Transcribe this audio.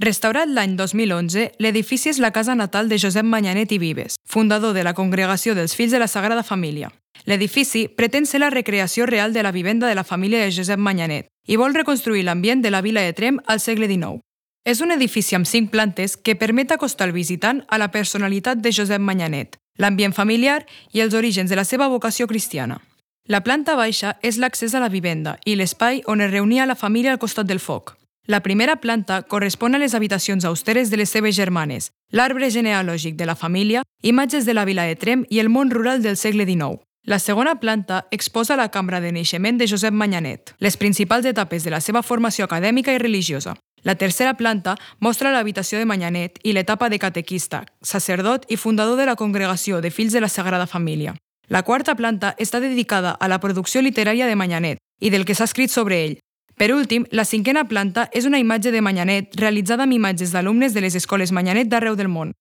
Restaurat l'any 2011, l'edifici és la casa natal de Josep Manyanet i Vives, fundador de la Congregació dels Fills de la Sagrada Família. L'edifici pretén ser la recreació real de la vivenda de la família de Josep Manyanet i vol reconstruir l'ambient de la vila de Tremp al segle XIX. És un edifici amb 5 plantes que permet acostar el visitant a la personalitat de Josep Manyanet, l'ambient familiar i els orígens de la seva vocació cristiana. La planta baixa és l'accés a la vivenda i l'espai on es reunia la família al costat del foc. La primera planta correspon a les habitacions austeres de les seves germanes, l'arbre genealògic de la família, imatges de la vila de Tremp i el món rural del segle XIX. La segona planta exposa la cambra de naixement de Josep Manyanet, les principals etapes de la seva formació acadèmica i religiosa. La tercera planta mostra l'habitació de Manyanet i l'etapa de catequista, sacerdot i fundador de la Congregació de Fills de la Sagrada Família. La quarta planta està dedicada a la producció literària de Manyanet i del que s'ha escrit sobre ell. Per últim, la 5a planta és una imatge de Manyanet realitzada amb imatges d'alumnes de les escoles Manyanet d'arreu del món.